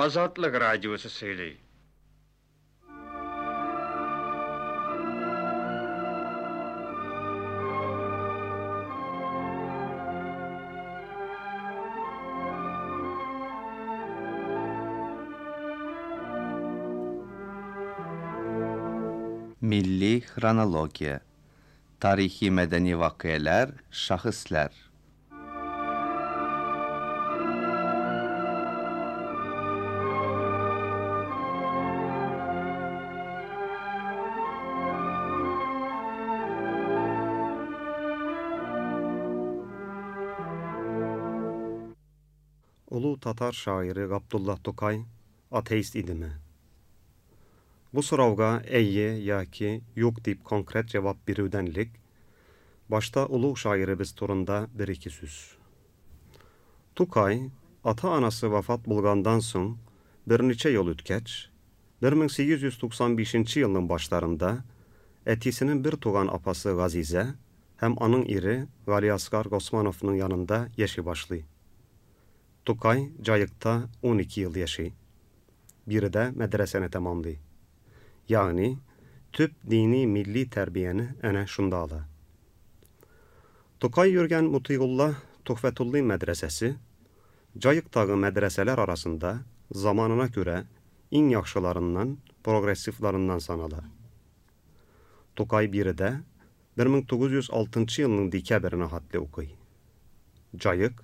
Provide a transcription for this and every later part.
Азатлык радиосы сөйли. Milli xronologiya. Tarixi mədəni vaqiələr, şəxslər. Ulu tatar şairi Gabdullah Tokay ateist idimi? Bu sorawga әйе яки юк дип конкрет җавап бирүдән элек, башта олуг шагыйребез турында бер-ике сүз. Тукай, ата-анасы вафат булгандан соң берничә ел үткәч, 1895 елның башларында әтисенең бер туган апасы Газизә һәм аның ире Галиаскар Госмановның янында яши башлый. Тукай Җаекта 12 ел яши. Биредә мәдрәсәне тәмамлый. Ягъни төп дини милли тәрбияне әнә шунда ала. Тукай йөргән Мутыйгулла Төхфәтуллин мәдрәсәсе Җаектагы мәдрәсәләр арасында заманына күрә иң яхшыларыннан, прогрессивларыннан санала. Тукай биредә 1906 елның декабренә хәтле укый. Җаек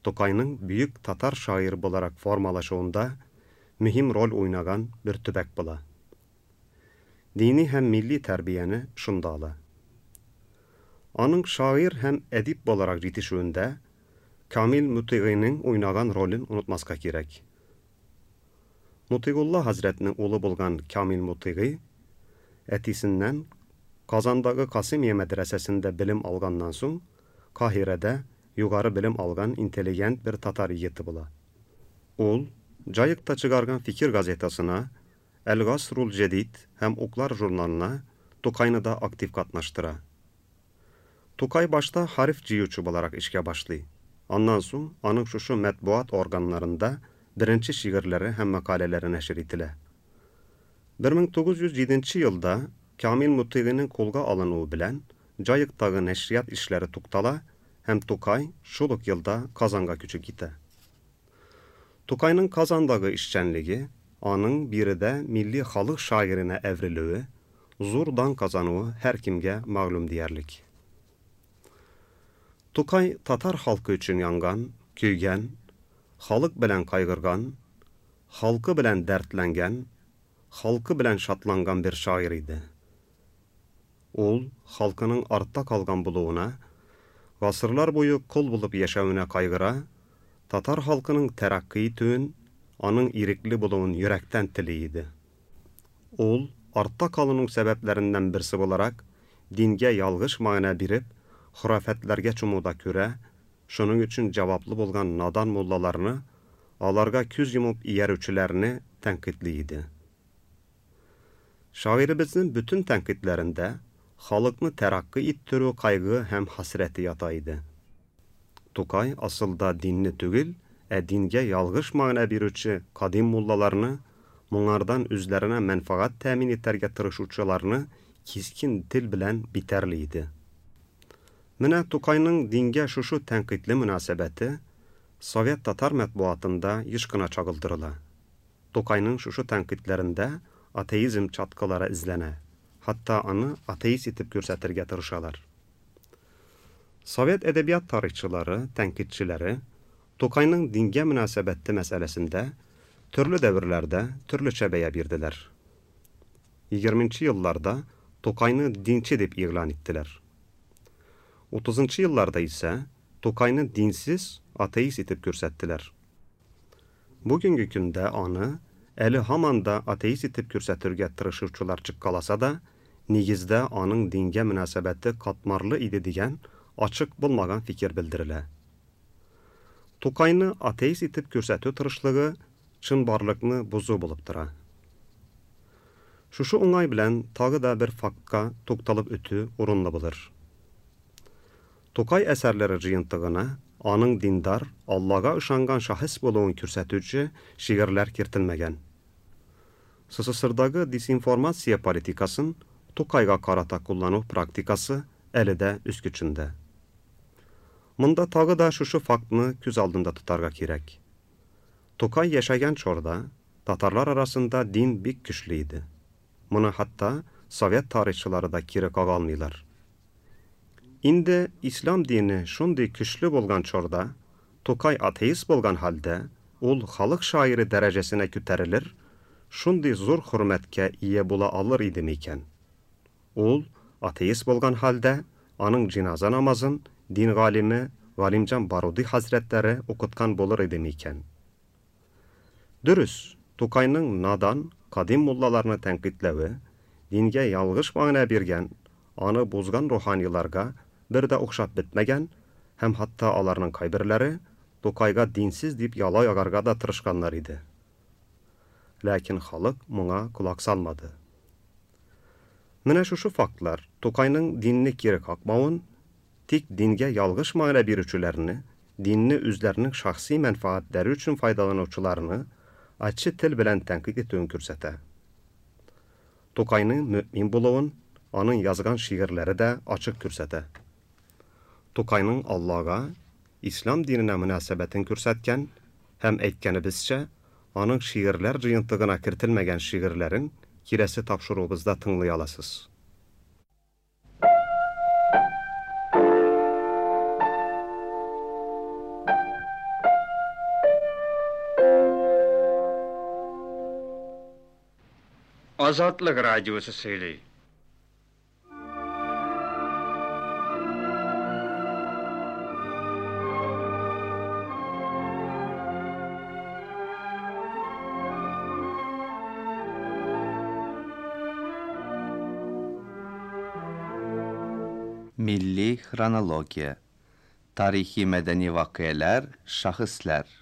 Тукайның бөек татар шагыйре буларак формалашуында мөһим роль уйнаган бер төбәк була. Дини һәм милли тәрбияне шунда ала. Аның шагыйрь һәм әдип буларак җитешүендә Камил Мутыйгыйның уйнаган ролен онытмаска кирәк. Мутыйгулла хәзрәтнең улы булган Камил Мутыйгый әтисеннән Казандагы Касымия мәдрәсәсендә белем алганнан соң Каһирәдә югары белем алган интеллигент бер татар егете була. Ул Җаекта чыгарган Фикер газетасына, Әл-Гасрул Җәдид һәм Уклар журналына Тукайны да актив катнаштыра. Тукай башта хәреф җыючы буларак эшкә башлый. Аннан соң аның шушы матбугат органнарында беренче шигырьләре һәм мәкаләләре нәшер ителә. 1907 елда Камил Мутыйгыйның кулга алынуы белән Җаектагы нәшрият эшләре туктала һәм Тукай шул ук елда Казанга күчеп китә. Тукайның Казандагы эшчәнлеге, аның биредә милли халык шагыйренә әверелүе, зур дан казануы һәркемгә мәгълүм диярлек. Тукай татар халкы өчен янган, көйгән, халык белән кайгырган, халкы белән дәртләнгән, халкы белән шатланган бер шагыйрь иде. Ул халкының артта калган булуына, гасырлар буе кол булып яшәвенә кайгыра, татар халкының тәрәккый итүен, аның ирекле булуын йөрәктән тели иде. Ул артта калуның сәбәпләреннән берсе буларак, дингә ялгыш мәгънә биреп, хорафәтләргә чумуда күрә, шуның өчен җаваплы булган надан муллаларны, аларга күз йомып иярүчеләрне тәнкыйтьли иде. Шагыйребезнең бөтен тәнкыйтьләрендә халыкны тәрәккый иттерү кайгы һәм хәсрәте ята иде. Тукай асылда динне түгел, ә дингә ялгыш мәгънә бирүче кадим муллаларны, моңардан үзләренә мәнфәгать тәэмин итәргә тырышучыларны кискен тел белән битәрли иде. Менә Тукайның дингә шушы тәнкыйтьле мөнәсәбәте совет татар матбугатында еш кына чагылдырыла. Тукайның шушы тәнкыйтьләрендә атеизм чаткылары эзләнә, хәтта аны атеист итеп күрсәтергә тырышалар. Совет әдәбият тарихчылары, тәнкыйтьчеләре Тукайның дингә мөнәсәбәте мәсьәләсендә төрле дәверләрдә төрлечә бәя бирделәр. 20 елларда Тукайны динче дип игълан иттеләр. 30 елларда исә Тукайны динсез, атеист итеп күрсәттеләр. Бүгенге көндә аны әле һаман да атеист итеп күрсәтергә тырышучылар чыккаласа да, нигездә аның дингә мөнәсәбәте катмарлы иде дигән ачык булмаган фикер белдерелә. Тукайны атеист итеп күрсәтү тырышлыгы чынбарлыкны бозу булып тора. Шушы уңай белән тагы да бер фактка тукталып үтү урынлы булыр. Тукай әсәрләре җыентыгына аның диндар, Аллага ышанган шәхес булуын күрсәтүче шигырьләр кертелмәгән. СССРдагы дезинформация политикасын Тукайга карата куллану практикасы әле дә үз көчендә. Монда тагы да шушы фактны күз алдында тотарга кирәк. Тукай яшәгән чорда татарлар арасында дин бик көчле иде. Моны хәтта совет тарихчылары да кире кага алмыйлар. Инде ислам дине шундый көчле булган чорда, Тукай атеист булган хәлдә, ул халык шагыйре дәрәҗәсенә күтәрелер, шундый зур хөрмәткә ия була алыр иде микән? Ул атеист булган хәлдә, аның җиназа намазын дин галиме Галимҗан Баруди хәзрәтләре укыткан булыр иде микән? Дөрес, Тукайның надан, кадим муллаларны тәнкыйтьләве, дингә ялгыш мәгънә биргән, аны бозган руханиларга бер дә охшап бетмәгән һәм хәтта аларның кайберләре Тукайга динсез дип яла ягарга да тырышканнар иде. Ләкин халык моңа колак салмады. Менә шушы фактлар Тукайның динне кире какмавын, тик дингә ялгыш мәгънә бирүчеләрне, динне үзләренең шәхси мәнфәгатьләре өчен файдаланучыларны ачы тел белән тәнкыйть итүен күрсәтә. Тукайның мөэмин булуын аның язган шигырьләре дә ачык күрсәтә. Тукайның Аллага, ислам диненә мөнәсәбәтен күрсәткән һәм, әйткәнебезчә, аның шигырьләр җыентыгына кертелмәгән шигырьләрен киләсе тапшыруыбызда тыңлый аласыз. Азатлык радиосы сөйли. Milli xronologiya. Tarixi mədəni vaqiələr, şəxslər.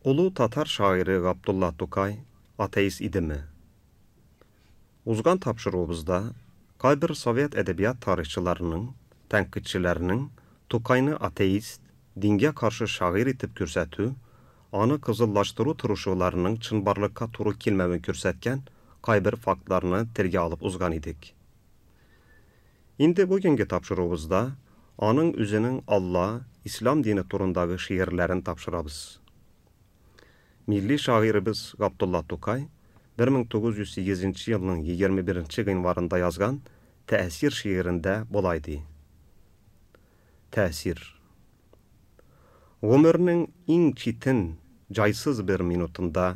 Ulu tatar şairi Габдулла Тукай ateist idimi? Узган тапшыруыбызда кайбер совет әдәбият тарихчыларының, тәнкыйтьчеләренең Тукайны атеист, дингә каршы шагыйрь итеп күрсәтү, аны кызыллаштыру тырышуларының чынбарлыкка туры килмәвен күрсәткән кайбер фактларны телгә алып узган идек. Инде бүгенге тапшыруыбызда аның үзенең Алла, ислам дине турындагы шигырьләрен тапшырабыз. Милли шагыйребез Габдулла Тукай 1908 елның 21 гыйнварында язган Тәэсир шигырендә болай ди. Тәэсир. Гомернең иң читен, җайсыз бер минутында,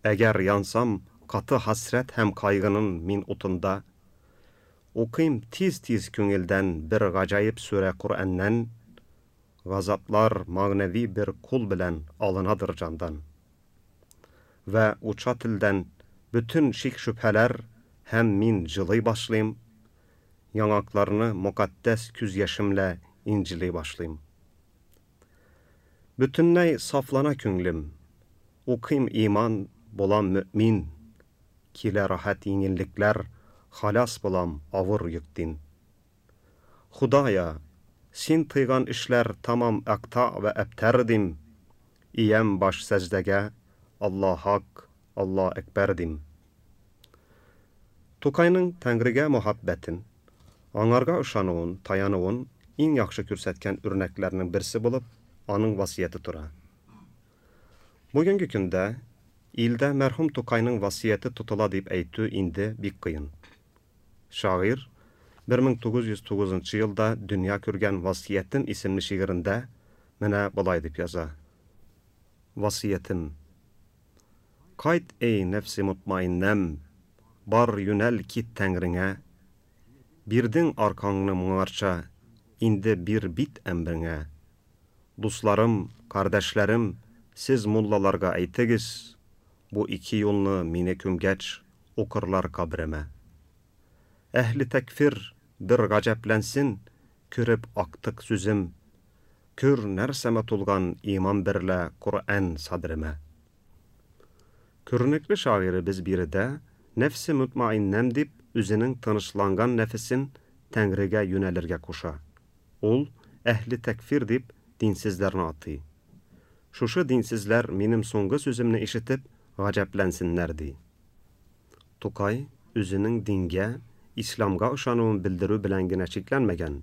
әгәр янсам каты хәсрәт һәм кайгының мин утында, укыйм тиз-тиз күңелдән бер гаҗәеп сүрә Коръәннән, газаплар мәгънәви бер кул белән алынадыр җандан. Вә уча телдән бөтен шик-шөбһәләр һәм мин җылый башлыйм, яңакларны мөкатдәс күз яшемлә инҗили башлыйм. Бөтенләй сафлана күңлем, укыйм иман, булам мөэмин, килә рәхәт еңеллекләр, халас булам авыр йөктин. Худая, син тыйган эшләр тамам әкта вә әбтәр дим, иям баш сәҗдәгә, Алла хак, Алла әкбәр дим. Тукайның Тәңрегә мөхәббәтен, аңарга ышануын, таянуын иң яхшы күрсәткән үрнәкләрнең берсе булып, аның васыяте тора. Бүгенге көндә илдә мәрхүм Тукайның васыяте тотыла дип әйтү инде бик кыен. Шагыйрь 1909 елда дөнья күргән Васыятем исемле шигырендә менә болай дип яза. Васыятем. Кайт, эй, нәфсе мутмаиннәм, бар юнәл кит Тәңреңә. Бирдең аркаңны моңарча, инде бир бит әмреңә. Дусларым, кардәшләрем, сез муллаларга әйтегез, бу ике юлны мине күмгәч укырлар кабремә. Әһле тәкфир бер гаҗәпләнсен, Күреп актык сүзем, Күр нәрсәмә тулган иман берлә Коръән садримә. Күренекле шагыйребез биредә нәфсе мөтмаиннәм дип үзенең тынычланган нәфесен Тәңрегә юнәлергә куша. Ул әһле тәкфир дип динсезләрне атый. Шушы динсезләр минем соңгы сүземне ишетеп гаҗәпләнсеннәр ди. Тукай үзенең дингә, исламга ышануын белдерү белән генә чикләнмәгән,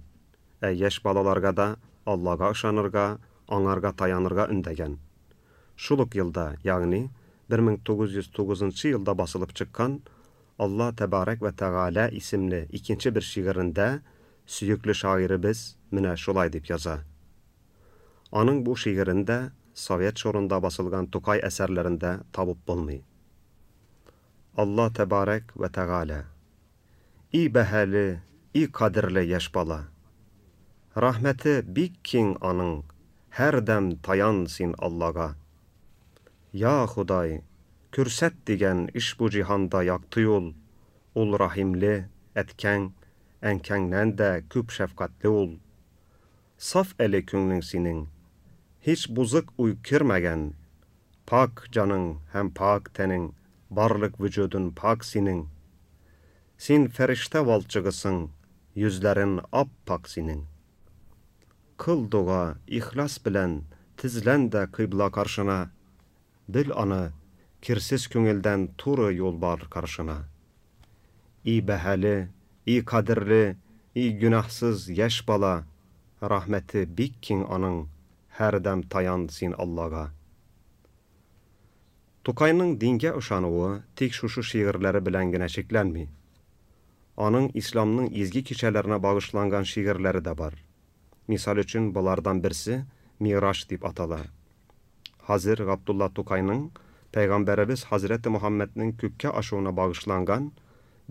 ә яшь балаларга да Аллага ышанырга, аңарга таянырга өндәгән. Шул ук елда, ягъни 1909 елда басылып чыккан Алла тәбарәк вә тәгалә исемле икенче бер шигырендә сөекле шагыйребез менә шулай дип яза. Аның бу шигырен дә совет чорында басылган Тукай әсәрләрендә табып булмый. Алла тәбарәк вә тәгалә. И бәһале, и кадерле яшь бала. Рәхмәте бик киң аның, һәрдәм таян син Аллага. Я Ходай, күрсәт дигән ишбу җиһанда якты юл, ул рәхимле, әткәң, әнкәңнән дә күп шәфкатьле ул. Саф әле күңлең синең, һич бузык уй кермәгән, пак җаның һәм пак тәнең, барлык вөҗүдең пак синең. Син фәрештә валчыгысың, йөзләрең ап-пак синең. Кыл дога, ихлас белән, тезлән дә кыйбла каршына. Бел аны, кирсез күңелдән туры юл бар каршына. И бәһале, и кадерле, и гөнаһсыз яшь бала, рәхмәте бик киң аның, һәрдәм таян син Аллага. Тукайның дингә ышануы тик шушы шигырьләре белән генә чикләнми. Аның исламның изге кичәләренә багышланган шигырьләре дә бар. Мисал өчен, болардан берсе Мираж дип атала. Хәзер Габдулла Тукайның Пәйгамбәребез Хәзрәте Мөхәммәднең күккә ашуына багышланган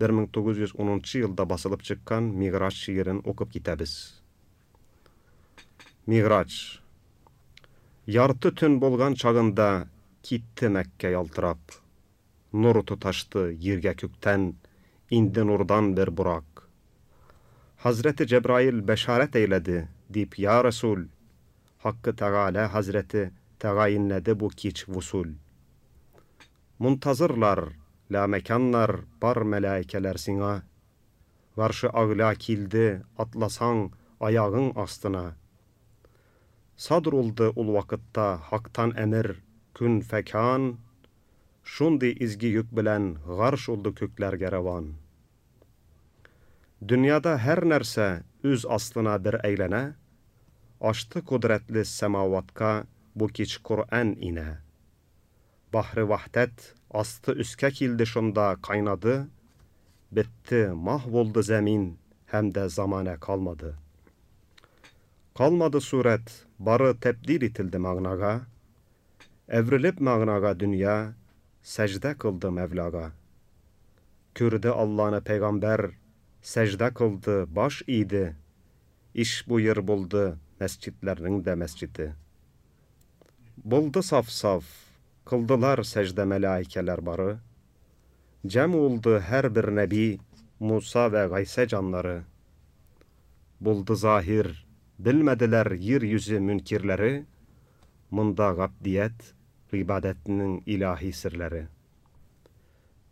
1910 елда басылып чыккан Миграҗ шигырен укып китәбез. Миграҗ. Ярты төн булган чагында китте Мәккә ялтырап. Нур тоташты җиргә күктән, инде нурдан бер бурак. Хәзрәте Җәбраил бәшарәт әйләде, дип, я Расул, Хаккы Тәгалә хәзрәте тәгаенләде бу кич вусул. Мунтазырлар, ламәканнар бар мәлаикәләр сиңа. Гаршы агля килде, атласаң аягың астына. Садр улды ул вакытта Хактан әмер, көн фәкан, шундый изге йөк белән гарш улды күкләргә рәван. Дөньяда һәр нәрсә үз аслына бер әйләнә, ашты кодрәтле сәмаватка бу кич Коръән инә. Бахры вахдәт асты өскә килде шунда кайнады, бетте, маһ булды зәмин һәм дә замана калмады. Калмады сурәт, бары тәбдил ителде мәгънага, әверелеп мәгънага дөнья сәҗдә кылды Мәвлага. Күрде Алланы пәйгамбәр, сәҗдә кылды, баш иде. Иш бу ер булды мәсҗидләрнең дә мәсҗиде. Булды саф-саф, кылдылар сәҗдә мәлаикәләр бары. Җәм улды һәрбер нәби, Муса вә Гайсә җаннары. Булды заһир, белмәделәр ер йөзе мөнкирләре, монда габдият, гыйбадәтнең илаһи серләре.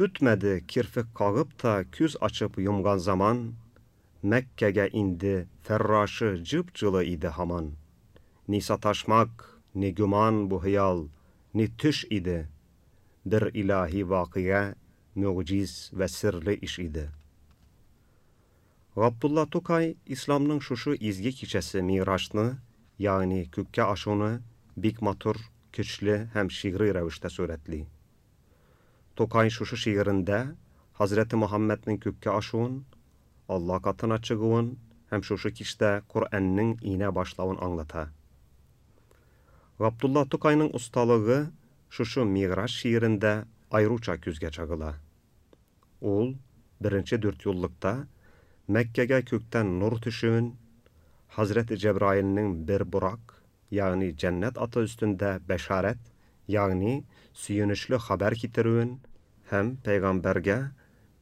Үтмәде кирфек кагып та күз ачып йомган заман, Мәккәгә инде фәррашы җып-җылы иде һаман. Ни саташмак, ни гөман бу хыял, ни төш иде. Бер илаһи вакыйга, мөгъҗиз вә серле иш иде. Габдулла Тукай исламның шушы изге кичәсе Мигражны, ягъни күккә ашуны бик матур, көчле һәм шигъри рәвештә сурәтли. Тукай шушы шигырендә Хәзрәте Мөхәммәднең күккә ашуын, Алла катына чыгуын һәм шушы кичтә Коръәннең инә башлавын аңлата. Габдулла Тукайның осталыгы шушы Миграж шигырендә аеруча күзгә чагыла. Ул беренче дүртьюллыкта Мәккәгә күктән нур төшүен, Хәзрәте Җәбраилнең бер бурак, ягъни җәннәт аты өстендә бәшарәт, ягъни сөенечле хәбәр китерүен һәм пәйгамбәргә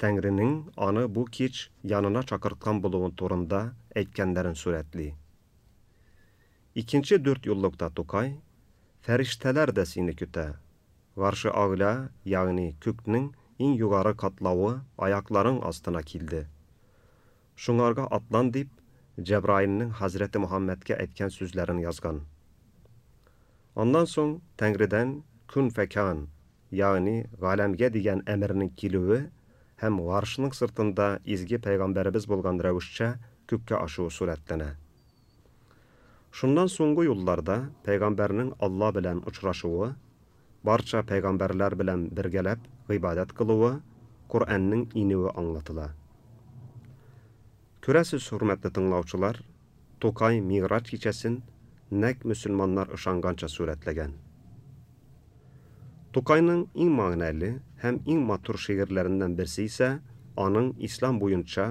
Тәңренең аны бу кич янына чакырткан булуын турында әйткәннәрен сурәтли. Икенче дүрт юллыкта Тукай, Фәрештәләр дә сине көтә. Гаршы Агля, ягъни күкнең иң югары катлавы аякларың астына килде. Шуңарга атлан дип, Җәбраилнең хәзрәте Мөхәммәдкә әйткән сүзләрен язган. Аннан соң Тәңредән кун фәкан, ягъни галәмгә дигән әмернең килүе һәм гаршның сыртында изге пәйгамбәребез булган рәвешчә күккә ашуы сурәтләнә. Шуннан соңгы юлларда пәйгамбәрнең Алла белән очрашуы, барча пәйгамбәрләр белән бергәләп гыйбадәт кылуы, Коръәннең инүе аңлатыла. Күрәсез, хөрмәтле тыңлаучылар, Тукай Мигъраҗ кичәсен нәкъ мөселманнар ышанганча сурәтләгән. Тукайның иң мәгънәле һәм иң матур шигырьләреннән берсе исә аның ислам буенча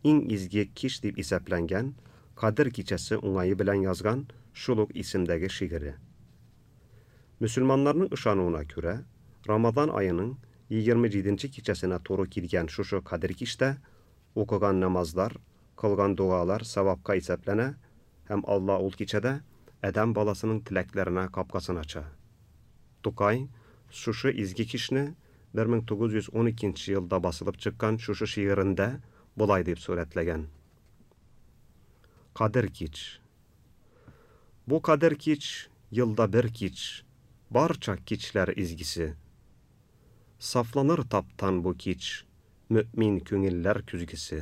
иң изге кич дип исәпләнгән Кадер кичәсе уңае белән язган шул ук исемдәге шигыре. Мөселманнарның ышануына күрә, Рамазан аеның 27 нче кичәсенә туры килгән шушы Кадер кичтә укыган намазлар, кылган догалар савапка исәпләнә һәм Алла ул кичәдә адәм баласының теләкләренә капкасын ача. Тукай шушы изге кичне 1912 нче елда басылып чыккан шушы шигырендә болай дип сурәтләгән. Кадер кич. Бу кадер кич, елда бер кич, барча кичләр изгесе. Сафланыр таптан бу кич, мөэмин күңелләр көзгесе.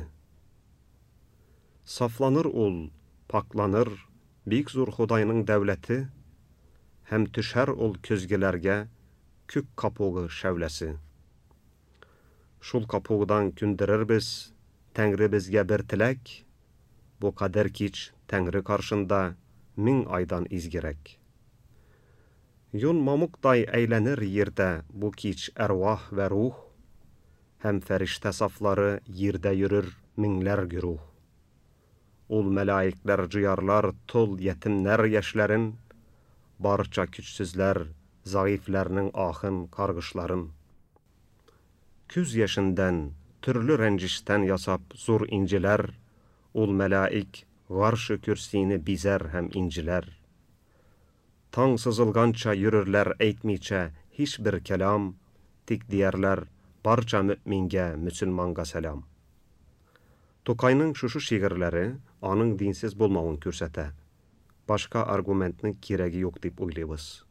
Сафланыр ул, пакьланыр бик зур Ходайның дәүләте, һәм төшәр ул көзгеләргә күк капугы шәүләсе. Шул капугдан күндерербез Тәңребезгә бер теләк, бу кадер кич Тәңре каршында 1000 айдан изгерәк. Юн мамыктай әйләнер йирдә бу кич әрвах вә рух, һәм фәрештә сафлары йирдә йөрер меңләр гөруһ. Ул мәлаикләр җыярлар тол ятимнәр яшьләрен, барча көчсезләр, зәгыйфьләрнең ахын, каргышларын. Күз яшендән, төрле рәнҗештән ясап зур инҗиләр, ул мәлаик гаршы көрсине бизәр һәм инҗиләр. Таң сызылганча йөрерләр әйтмичә һичбер кәлам, тик диярләр барча мөэмингә, мөселманга сәлам. Тукайның шушы шигырьләре аның динсез булмавын күрсәтә. Башка аргументның кирәге юк дип уйлыйбыз.